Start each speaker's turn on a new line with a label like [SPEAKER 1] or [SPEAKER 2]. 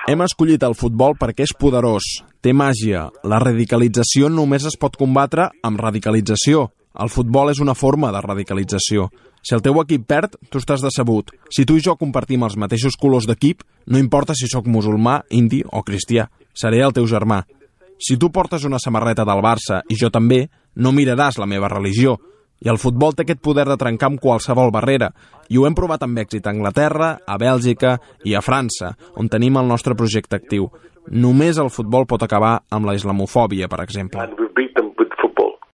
[SPEAKER 1] Hem escollit el futbol perquè és poderós, té màgia. La radicalització només es pot combatre amb radicalització. El futbol és una forma de radicalització. Si el teu equip perd, tu estàs decebut. Si tu i jo compartim els mateixos colors d'equip, no importa si sóc musulmà, indi o cristià. Seré el teu germà. Si tu portes una samarreta del Barça i jo també, no miraràs la meva religió. I el futbol té aquest poder de trencar amb qualsevol barrera. I ho hem provat amb èxit a Anglaterra, a Bèlgica i a França, on tenim el nostre projecte actiu. Només el futbol pot acabar amb la islamofòbia, per exemple.